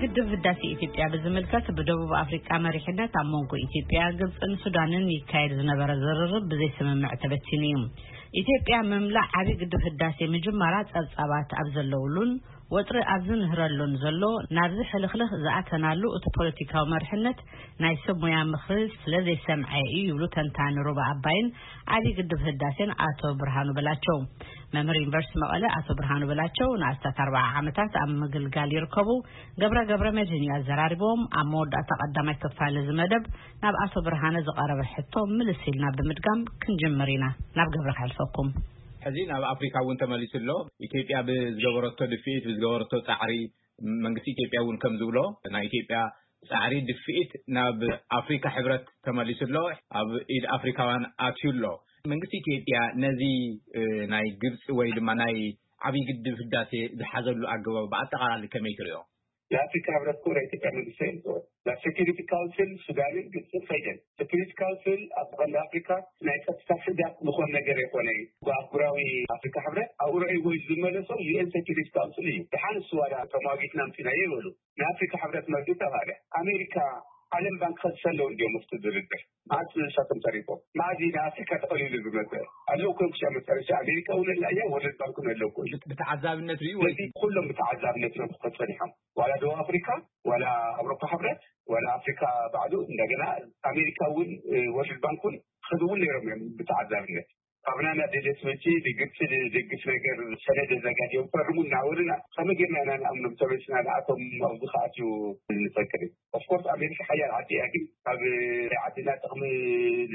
ግድብ ህዳሴ ኢትዮጵያ ብዝምልከት ብደቡብ ኣፍሪቃ መሪሕነት ኣብ መንጎ ኢትዮጵያ፣ ግብፅን ሱዳንን ይካየድ ዝነበረ ዝርርብ ብዘይስምምዕ ተበቲኑ እዩ። ኢትዮጵያ ምምላእ ዓብዪ ግድብ ህዳሴ ምጅማራ ጸብጻባት ኣብ ዘለውሉን ወጥሪ ኣብ ዝንህረሉን ዘሎ፣ ናብዚ ሕልኽልኽ ዝኣተናሉ እቲ ፖለቲካዊ መሪሕነት ናይ ሰብ ሞያ ምኽሪ ስለ ዘይሰምዐ እዩ ይብሉ ተንታኒ ሩባ ኣባይን ዓብዪ ግድብ ህዳሴን ኣቶ ብርሃኑ በላቸው። መምህር ዩኒቨርሲቲ መቐለ ኣቶ ብርሃኑ በላቸው ንኣስታት ኣርባዓ ዓመታት ኣብ ምግልጋል ይርከቡ። ገብረ ገብረ መድህን እዩ ኣዘራሪቦም። ኣብ መወዳእታ ቀዳማይ ክፋል እዚ መደብ ናብ ኣቶ ብርሃነ ዝቐረበ ሕቶ ምልስ ኢልና ብምድጋም ክንጅምር ኢና። ናብ ገብረ ከሕልፈኩም። ሕዚ ናብ ኣፍሪካ እውን ተመሊሱ ኣሎ። ኢትዮጵያ ብዝገበረቶ ድፍኢት፣ ብዝገበረቶ ጻዕሪ፣ መንግስቲ ኢትዮጵያ እውን ከም ዝብሎ፣ ናይ ኢትዮጵያ ጻዕሪ ድፍኢት ናብ ኣፍሪካ ሕብረት ተመሊሱ ኣሎ፣ ኣብ ኢድ ኣፍሪካውያን ኣትዩ ኣሎ። መንግስቲ ኢትዮጵያ ነዚ፣ እ፣ ናይ ግብፂ ወይ ድማ ናይ ዓብዪ ግድብ ህዳሴ ዝሓዘሉ ኣገባብ ብኣጠቓላሊ ከመይ ትሪኦ? የኣፍሪካ ሕብረት እኮ ናይ ኢትዮጵያ መንግስቲ ኣይልኮን። ናብ ሴኩሪቲ ካውንስል ሱዳንን ግብፅን ከይደን። ሴኩሪቲ ካውንስል ኣብ ቀንዲ ኣፍሪካ ናይ ጸጥታ ስጋት ዝኾን ነገር ኣይኮነ። ኣህጉራዊ ኣፍሪካ ሕብረት ኣብኡ ረእይዎ እዩ ዝመለሶ፣ ዩ ኤን ሴኩሪቲ ካውንስል እዩ። ደሓን እሱ ዋላ ተሟጊትና ኣምፂናዮ ይበሉ። ንኣፍሪካ ሕብረት መርጊ ተባለ። ኣሜሪካ፣ ዓለም ባንክ ከዝሰለው እንዲዮም ኣብቲ ድርድር። መዓዝ ንሳቶም ተሪፎም? መዓዝ እዩ ንኣፍሪካ ተቐሊሉ ዝመፀ? ኣለዉ እኮ እዮም ክሳብ መጨረሻ። ኣሜሪካ እውን ኣላ እያ፣ ወርልድ ባንክ እውን ኣለዉ እኮ እዩ። ብተዓዛብነት ርዩ ወይ? ስለዚ ኩሎም ብተዓዛብነት እዮም ክኾኑ ጸኒሖም። ዋላ ደቡብ ኣፍሪካ፣ ዋላ ኣውሮፓ ሕብረት፣ ዋላ ኣፍሪካ ባዕሉ፣ እንደገና ኣሜሪካ እውን፣ እ፣ ወርልድ ባንክ እውን ክኸዱ እውን ነይሮም እዮም ብተዓዛብነት። ካብና ናብ ደደስ መጺ ንግብፂ ዝድግፍ ነገር ሰነድ ኣዘጋጅዮም ፈርሙ እናበሉና፣ ከመይ ጌርና ኢና ንኣምኖም? ተመሊስና ንኣቶም ኣብዚ ክኣትዩ ንፈቅድ? ኦፍኮርስ ኣሜሪካ ሓያል ዓዲ እያ፣ ግን ካብ ናይ ዓድና ጥቕሚ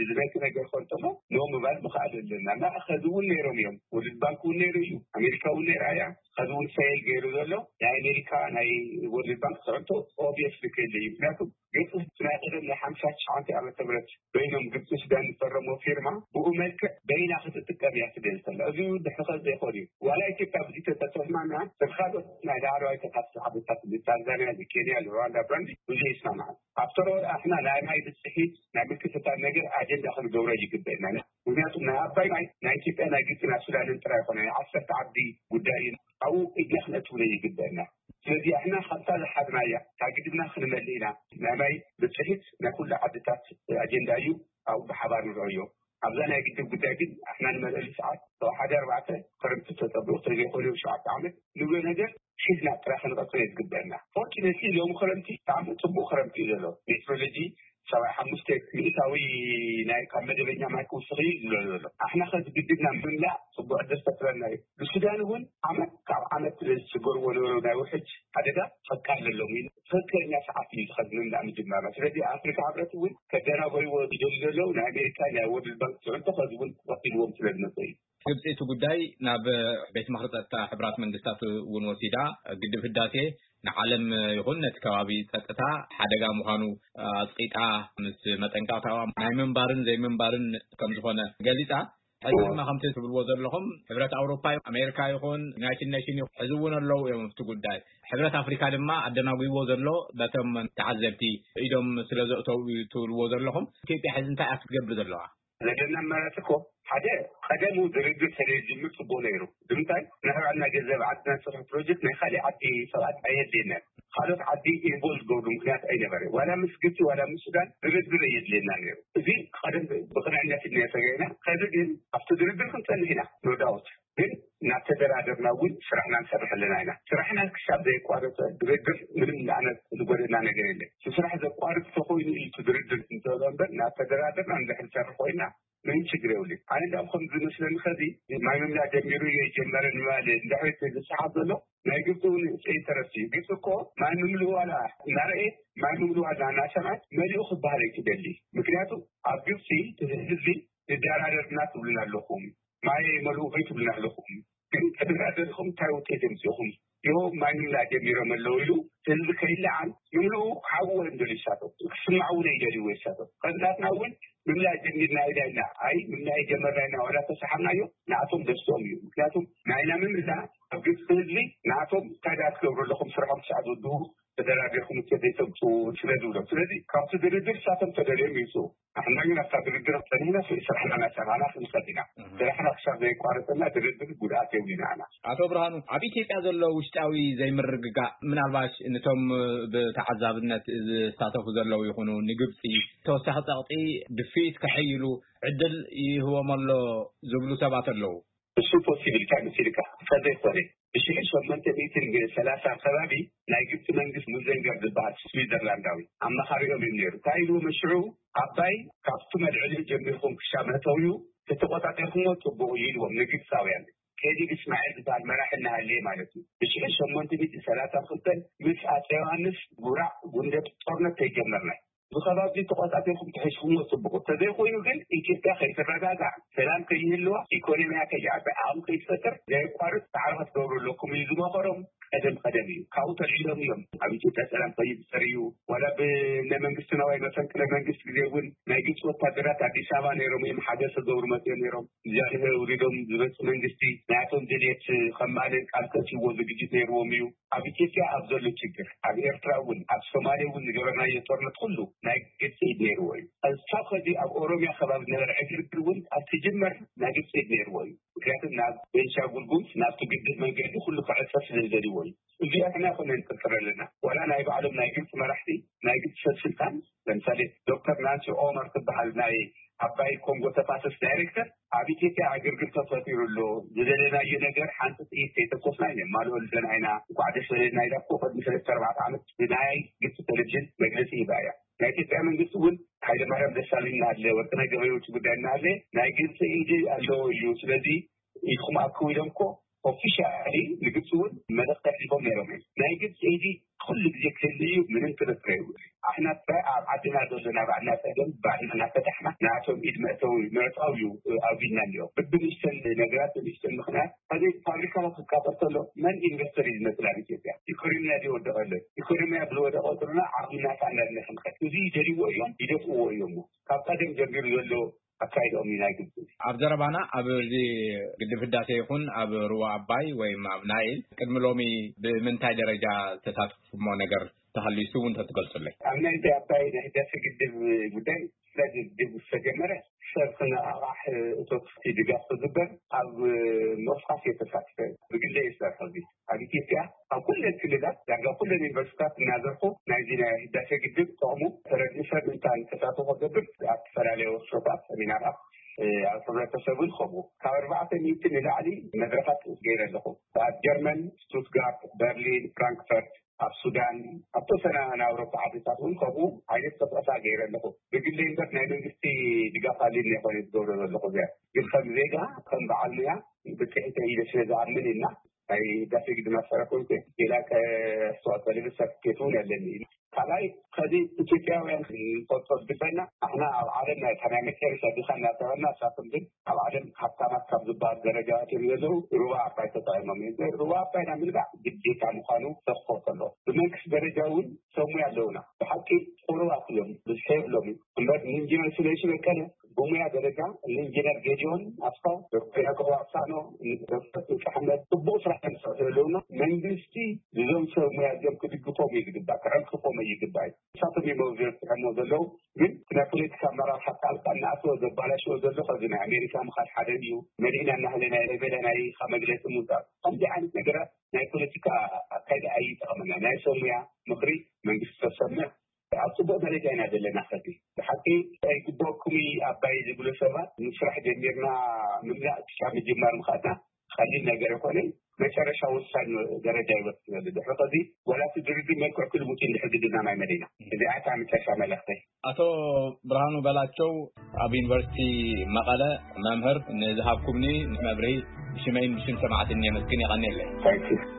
ዝነኪ ነገር ከንተሎ ኖ ምባል ምኽኣል ኣለና። እና ከዚ እውን ነይሮም እዮም። ወርልድ ባንክ እውን ነይሩ እዩ፣ ኣሜሪካ እውን ነይራ እያ። ከዚ እውን ፌል ገይሩ ዘሎ ናይ ኣሜሪካ ናይ ወርልድ ባንክ ፅዕንቶ ኦብየስ ልክእል እዩ። ምክንያቱም ግብፂ ናይ ቀደም ናይ ሓምሳ ትሽዓተ ዓመተ ምህረት በይኖም ግብፂ ሱዳን ዝፈረሞ ፊርማ ብኡ መልክዕ በይና ክትጥቀም እያ ትደሊ ዘላ። እዚ ድሕሪ ከዚ ዘይኮን እዩ። ዋላ ኢትዮጵያ ብዙ ተተስማምና፣ ካልኦት ናይ ላዕለዋይ ተፋሰስ ዓድታት፣ ታንዛንያ፣ ኬንያ፣ ሩዋንዳ፣ ብራንዲ ብዙ ይስማማዓን። ኣፍተር ኦል ኣሕና ናይ ማይ ብፅሒት ናይ ምክፍታን ነገር ኣጀንዳ ክንገብሮ ይግበእና። ምክንያቱም ናይ ኣባይ ማይ ናይ ኢትዮጵያ፣ ናይ ግብፂ፣ ናይ ሱዳንን ጥራይ ይኮነ፣ ናይ ዓሰርተ ዓዲ ጉዳይ እዩ። ኣብኡ ኢድና ክነእትውነ ይግበእና። ስለዚ ኣሕና ካብታ ዝሓዝናያ ካብ ግድብና ክንመልእ ኢና። ናይ ማይ ብፅሒት ናይ ኩሉ ዓድታት ኣጀንዳ እዩ። ኣብኡ ብሓባር ንርአዮ። ኣብዛ ናይ ግድብ ጉዳይ ግን ኣሕና ንመልአሉ ሰዓት ካብ ሓደ ኣርባዕተ ክረምቲ ተፀብኡ ተዘይኮነ ሸውዓተ ዓመት ንብሎ ነገር ሒዝና ጥራይ ክንቐፅሎ እዩ ዝግበአና። ፎርቹኔትሊ ሎሚ ክረምቲ ብጣዕሚ ፅቡቅ ክረምቲ እዩ ዘሎ። ሜትሮሎጂ ሰብዓ ሓሙሽተ ሚእታዊ ናይ ካብ መደበኛ ማይ ክውስኽ እዩ ዝብሎ ዘሎ። ኣሕና ከዚ ግድብና ምምላእ ፅቡቅ ዕድል ፈጥረና እዩ። ንሱዳን እውን ዓመት ካብ ዓመት ዝስገርዎ ነበሩ ናይ ውሕጅ ሓደጋ ከቃለሎም እዩ። ትኽክለኛ ሰዓት እዩ ዝኸዚ ምምላእ ምጅማርና። ስለዚ ኣፍሪካ ሕብረት እውን ከደናጎይዎ ይደሊ ዘለዉ ናይ ኣሜሪካ ናይ ወርልድ ባንክ ፅዕንቶ ከዚ እውን ቀፂልዎም ስለ ዝመፀ እዩ። ግብፂ እቲ ጉዳይ ናብ ቤት ምኽሪ ጸጥታ ሕቡራት መንግስታት እውን ወሲዳ፣ ግድብ ህዳሴ ንዓለም ይኹን ነቲ ከባቢ ጸጥታ ሓደጋ ምዃኑ ኣጽቂጣ፣ ምስ መጠንቀቕታዋ ናይ ምንባርን ዘይምንባርን ከም ዝኾነ ገሊጻ። ሕዚ ድማ ከምቲ ትብልዎ ዘለኹም፣ ሕብረት ኣውሮፓ፣ ኣሜሪካ ይኹን ዩናይትድ ኔሽን ይኹን፣ ሕዚ እውን ኣለዉ እዮም ኣብቲ ጉዳይ። ሕብረት ኣፍሪካ ድማ ኣደናጒዎ ዘሎ በቶም ተዓዘብቲ ኢዶም ስለ ዘእተው እዩ ትብልዎ ዘለኹም። ኢትዮጵያ ሕዚ እንታይ እያ ክትገብር ዘለዋ? ዘለና ኣማራፂ እኮ ሓደ፣ ቀደሙ ድርድር ተዘይጅምር ፅቡቅ ነይሩ። ንምንታይ? ናይ ባዕልና ገንዘብ ዓድና ዝሰርሑ ፕሮጀክት ናይ ካሊእ ዓዲ ሰባት ኣየድልየናን። ካልኦት ዓዲ ኢንቮልቭ ዝገብሩ ምክንያት ኣይነበረ። ዋላ ምስ ግብፂ ዋላ ምስ ሱዳን ድርድር ኣየድልየና ነይሩ። እዚ ቀደም ብቅንዕነት ኢና ሰጋይና። ከዚ ግን ኣብቲ ድርድር ክንፀንሕ ኢና፣ ኖ ዳውት። ግን እናተደራደርና እውን ስራሕና ንሰርሕ ኣለና ኢና። ስራሕና ክሳብ ዘየቋረፀ ድርድር ምንም ንኣነ ዝጎደና ነገር የለን። እቲ ስራሕ ዘቋርፅ ተኮይኑ እዩ እቲ ድርድር እንተሎ እምበር፣ እናተደራደርና እንድሕር ንሰርሕ ኮይና ምንም ችግር የብሉን። ኣነ እንዳውም ከም ዝመስለኒ ከዚ ማይ ምምላእ ጀሚሩ እዮ ይጀመረ ንምባል እንድሕር እቲ ዝሰሓብ ዘሎ ናይ ግብፂ እውን ኢንተረስት እዩ። ግብፂ እኮ ማይ ምምልኡ ዋላ እናረኤት ማይ ምምልኡ ዋላ እናሰምዐት መሊኡ ክበሃል ኣይትደሊ። ምክንያቱ ኣብ ግብፂ እቲ ህዝቢ ንደራደር እና ትብሉና ኣለኹም፣ ማይ መልኡ ወይ ትብሉና ኣለኹም። ግን ተደራደርኩም እንታይ ውጤት የምፅእኹም? ይኸው ማይ ምምላእ ጀሚሮም ኣለዉ ኢሉ ህዝቢ ከይለዓል ምምልኡ ክሓብዎ እዮም ደልዩ ይሳተፉ። ክስማዕ እውን ኣይደልዩ ይሳተፉ። ከንታትና እውን ምምላእ ጀሚርና ኢና ኢልና፣ ኣይ ምምላእ ጀመርና ኢና ዋላ ተሰሓብናዮ ንኣቶም ደስቶም እዩ። ምክንያቱም ናይና ምምላ ኣብ ግብፂ ህዝቢ ንኣቶም እንታይ ደኣ ትገብሩ ኣለኹም፣ ስራሖም ክሳዕ ዝውድኡ ተደራዲርኩም ውፅኢት ዘይተምፅኡ ስለ ዝብሎም። ስለዚ ካብቲ ድርድር ንሳቶም ተደልዮም ይውፅኡ። ንሕና ግን ኣብታ ድርድር ጸኒሕና ስራሕና እናሰራሕና ክንኸድ ኢና። ስራሕና ክሳብ ዘየቋረጸና ድርድር ጉድኣት የብሉን ኢና። ኣቶ ብርሃኑ፣ ኣብ ኢትዮጵያ ዘሎ ውሽጣዊ ዘይምርግጋእ ምናልባሽ ነቶም ብተዓዛብነት ዝሳተፉ ዘለዉ ይኹኑ ንግብፂ ተወሳኺ ጸቕጢ ድፍኢት ከሐይሉ ዕድል ይህቦም ኣሎ ዝብሉ ሰባት ኣለዉ። እሱ ፖሲብል ኢልካ መሲልካ እንተዘይኮነ ብሽሕን ሸሞንተ ሚእትን ሰላሳ ከባቢ ናይ ግብፂ መንግስት ሙዘንገር ዝበሃል ስዊዘርላንዳዊ ኣማኻሪኦም እዩ ነይሩ። እንታይ ኢልዎም ሽዑ? ኣባይ ካብቲ መልዕሊኡ ጀሚርኩም ክሻብ መእተዊኡ ተተቆጻጺርኩሞ ጽቡቕ እዩ ኢልዎም ንግብፃውያን። ከዲር እስማዒል ዝበሃል መራሒ እናሃለየ ማለት እዩ። ብሽሕን ሸሞንተ ሚእትን ሰላሳን ክልተን ምስ ኣፀ ዮሃንስ ጉራዕ ጉንደት ጦርነት ተይጀመርና እዚ ከባቢ ተቆጻጺርኩም ተሒዝኩሞ ጽቡቕ። ተዘይኮይኑ ግን ኢትዮጵያ ከይትረጋጋዕ፣ ሰላም ከይህልዋ፣ ኢኮኖሚያ ከይዓቢ፣ ዓቕሚ ከይትፈጥር ዘየቋርጽ ጻዕሪ ክትገብሩ ኣለኩም እዩ ዝመኸሮም። ቀደም ቀደም እዩ ካብኡ ተልዒሎም እዮም ኣብ ኢትዮጵያ ሰላም ከይፍጠር እዩ። ዋላ ብነ መንግስቲ ነዋይ መፈንቅለ መንግስት ግዜ እውን ናይ ግብፂ ወታደራት ኣዲስ ኣበባ ነይሮም እዮም ሓገዝ ክገብሩ መፅኦም ነይሮም። እዚኣ ውሪዶም ዝመፁ መንግስቲ ናያቶም ድልየት ከማልን ቃል ከእትይዎ ዝግጅት ነይርዎም እዩ። ኣብ ኢትዮጵያ ኣብ ዘሎ ችግር፣ ኣብ ኤርትራ እውን፣ ኣብ ሶማሌ እውን ዝገበርናዮ ጦርነት ኩሉ ናይ ግብፂ ኢድ ነይርዎ እዩ። ክሳብ ከዚ ኣብ ኦሮሚያ ከባቢ ዝነበረ ዕግርግር እውን ኣብ ትጅመር ናይ ግብፂ ኢድ ነይርዎ እዩ። ምክንያቱ ናብ ቤንሻንጉል ጉምዝ ናብቲ ግድብ መንገዲ ኩሉ ክዕፀ ስለ ዝደልይዎ እዩ። እዚኣ ንሕና ይኮነ ንጥርጥር ኣለና። ዋላ ናይ ባዕሎም ናይ ግብፂ መራሕቲ፣ ናይ ግብፂ ሰብ ስልጣን፣ ለምሳሌ ዶክተር ናንሲ ኦመር ትበሃል ናይ ዓባይ ኮንጎ ተፋሰስ ዳይሬክተር ኣብ ኢትዮጵያ ዕግርግር ተፈጢሩ ኣሎ፣ ዝደለናዮ ነገር ሓንቲ ጥይት ከይተኮስና ነማልኦ ኣለና ኢና፣ እንኳዕ ደስ በለና ኢላ እኮ ቅድሚ ሰለስተ ኣርባዕተ ዓመት ብናይ ግብፂ ቴሌቪዥን መግለፂ ሂባ እያ። ናይ ኢትዮጵያ መንግስቲ እውን ሃይለማርያም ደሳለኝ እናሃለ፣ ወርቅነህ ገበየሁ ውጭ ጉዳይ እናሃለ ናይ ግብፂ ኢድ ኣለዎ እዩ፣ ስለዚ ኢድኩም ኣክቡ ኢሎም እኮ ኦፊሻሊ ንግብፂ እውን መልእኽቲ ኣሕሊፎም ነይሮም እዮም። ናይ ግብፂ ኢድ ኩሉ ግዜ ክህሉ እዩ፣ ምንም ክርክር የብሉ። ኣሕና ጥራይ ኣብ ዓድና ዘሎ ናይ ባዕልና ፀገም ባዕልና እናፈታሕና ንኣቶም ኢድ መእተዊ ምዕፃው እዩ ኣውዲልና እኒኦ። ብብንእሽተን ነገራት ብንእሽተን ምክንያት ከዚ ፋብሪካታት ክቃፀል ከሎ መን ኢንቨስተር እዩ ዝመፅእ ናብ ኢትዮጵያ? ኢኮኖሚና ድዩ ወደቀ ኣሎ? ኢኮኖሚያ ብዝወደቀ ቁፅርና ዓቕሚ ናፃ እንዳለ ክንኸድ እዚ ይደልይዎ እዮም፣ ይደፍእዎ እዮም። ካብ ቀደም ጀሚሩ ዘሎ ኣካይድኦም እዩ ናይ ግብፂ። ኣብ ዘረባና ኣብ እዚ ግድብ ህዳሴ ይኹን ኣብ ሩባ ኣባይ ወይም ኣብ ናይል ቅድሚ ሎሚ ብምንታይ ደረጃ ዝተሳተፉሞ ነገር ተሃልዩሱ እውን ተትገልጹለይ? ኣብ ናይ ኣባይ ናይ ህዳሴ ግድብ ጉዳይ ስለዚ ግድብ ዝተጀመረ ሰብ ክነቓቓሕ እቶት ድጋፍ ክግበር ኣብ ምቕስቃስ እየ ተሳቲፈ። ብግለ እየ ዝሰርሖ። እዚ ኣብ ኢትዮጵያ ኣብ ኩለን ክልላት ዳርጋ ኩለን ዩኒቨርሲታት እናዘርኩ ናይዚ ናይ ህዳሴ ግድብ ጥቕሙ ተረድኡ ሰብ ምእንታን ተሳትፎ ክገብር ኣብ ዝተፈላለዩ ወርክሾፓት፣ ሰሚናራት፣ ኣብ ሕብረተሰብን ከምኡ ካብ ኣርባዕተ ሚእቲ ንላዕሊ መድረኻት ገይረ ኣለኹ። ኣብ ጀርመን፣ ስቱትጋርት፣ በርሊን፣ ፍራንክፈርት፣ ኣብ ሱዳን፣ ኣብ ተወሰነ ናይ ኣውሮፓ ዓድታት እውን ከምኡ ዓይነት ቅስቀሳ ገይረ ኣለኹ። ብግለይ እምበር ናይ መንግስቲ ድጋፍ ኣልኒ ኣይኮነ ዝገብሮ ዘለኹ። እዚኣ ግን ከም ዜጋ ከም በዓል ሙያ ብፅሒተ ኢለ ስለ ዝኣምን እና ናይ ህዳሴ ግድብ ማስተር ኮይንኩ ሌላ ኣስተዋፅኦ ልብል ሰርቲፊኬት እውን ኣለኒ። ካልኣይ ከዚ ኢትዮጵያውያን ንፈልጦ ዝግበና ኣሕና ኣብ ዓለም ናይ ናይ መጨረሻ ድኻ እናተበልና እሳቶም ግን ኣብ ዓለም ሃብታማት ካብ ዝበሃል ደረጃ እዮም ዘለዉ። ሩባ ኣባይ ተጠቒሞም እዮም። ሩባ ኣባይ ናብ ምልባዕ ግዴታ ምዃኑ ዘኽፍር ከሎ ብመንግስቲ ደረጃ እውን ሰብ ሙያ ኣለውና። ብሓቂ ቁሩባት እዮም፣ ብዝሒ የብሎም እዩ። እምበር ንኢንጂነር ስለሺ በቀለ ብሙያ ደረጃ ንኢንጂነር ጌዲዮን ኣስፋው፣ ዶክተር ያዕቆብ ኣሳኖ፣ ዶክተር ጥልቂ ኣሕመድ ጽቡቕ ስራሕ እዮም ዝሰርሑ ዘለውና። መንግስቲ እዞም ሰብ ሙያ እዚኦም ክድግፎም እዩ ዝግባእ፣ ክዕንቅፎም እዩ ይግባእ። ንሳቶም እዮም ኣብዚ ዘብፅሖሞ ዘለዉ። ግን ናይ ፖለቲካ ኣመራርሓ ጣልቃ እናኣተወ ዘባላሽዎ ዘሎ ከዚ ናይ ኣሜሪካ ምኻድ ሓደ እዩ። መሊእና እናሃለ ናይ ሌቤላ ናይ ኢኻ መግለፂ ምውፃእ ከምዚ ዓይነት ነገራት ናይ ፖለቲካ ኣካይዳ ኣይጠቕመና። ናይ ሰብ ሙያ ምኽሪ መንግስቲ ተሰምዕ ኣብ ጽቡቕ ደረጃ ኢና ዘለና። ከዚ ብሓቂ ኣይግበኩም ኣባይ ዝብሉ ሰባት ንስራሕ ጀሚርና ምምላእ ክሻብ ምጅማር ምኻድና ቀሊል ነገር ኣይኮነን። መጨረሻ ወሳኝ ደረጃ ይበፅሕ ዘሎ። ድሕሪ ከዚ ዋላ እቲ ድርድር መልክዕ ክልውጥ እንድሕር ግድና ማይ መደይና። እዚኣ እታ መጨረሻ መልእኽተይ። ኣቶ ብርሃኑ በላቸው ኣብ ዩኒቨርሲቲ መቐለ መምህር፣ ንዝሃብኩምኒ መብርሂ ብሽመይን ብሽም ሰማዕትን የመስግን። የቐንየለይ። Thank you።